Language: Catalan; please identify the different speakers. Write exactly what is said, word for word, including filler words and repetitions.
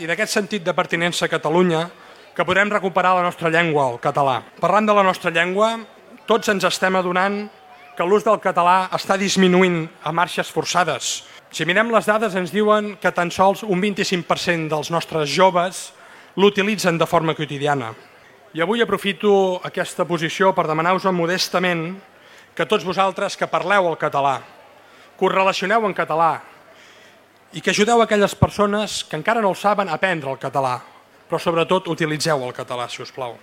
Speaker 1: I d'aquest sentit de pertinença a Catalunya que podrem recuperar la nostra llengua, el català. Parlant de la nostra llengua, tots ens estem adonant que l'ús del català està disminuint a marxes forçades. Si mirem les dades ens diuen que tan sols un vint-i-cinc per cent dels nostres joves l'utilitzen de forma quotidiana. I avui aprofito aquesta posició per demanar-vos modestament que tots vosaltres que parleu el català, que us relacioneu en català i que ajudeu aquelles persones que encara no el saben a aprendre el català, però sobretot utilitzeu el català, si us plau.